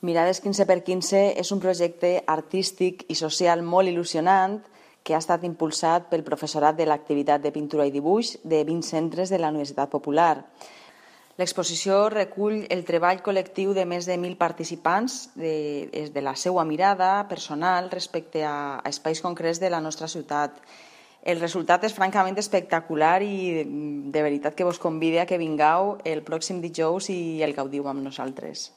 Mirades 15x15 és un projecte artístic i social molt il·lusionant que ha estat impulsat pel professorat de l'activitat de pintura i dibuix de 20 centres de la Universitat Popular. L'exposició recull el treball col·lectiu de més de 1.000 participants de la seva mirada personal respecte a espais concrets de la nostra ciutat. El resultat és francament espectacular i de veritat que vos convide a que vingueu el pròxim dijous i el gaudiu amb nosaltres.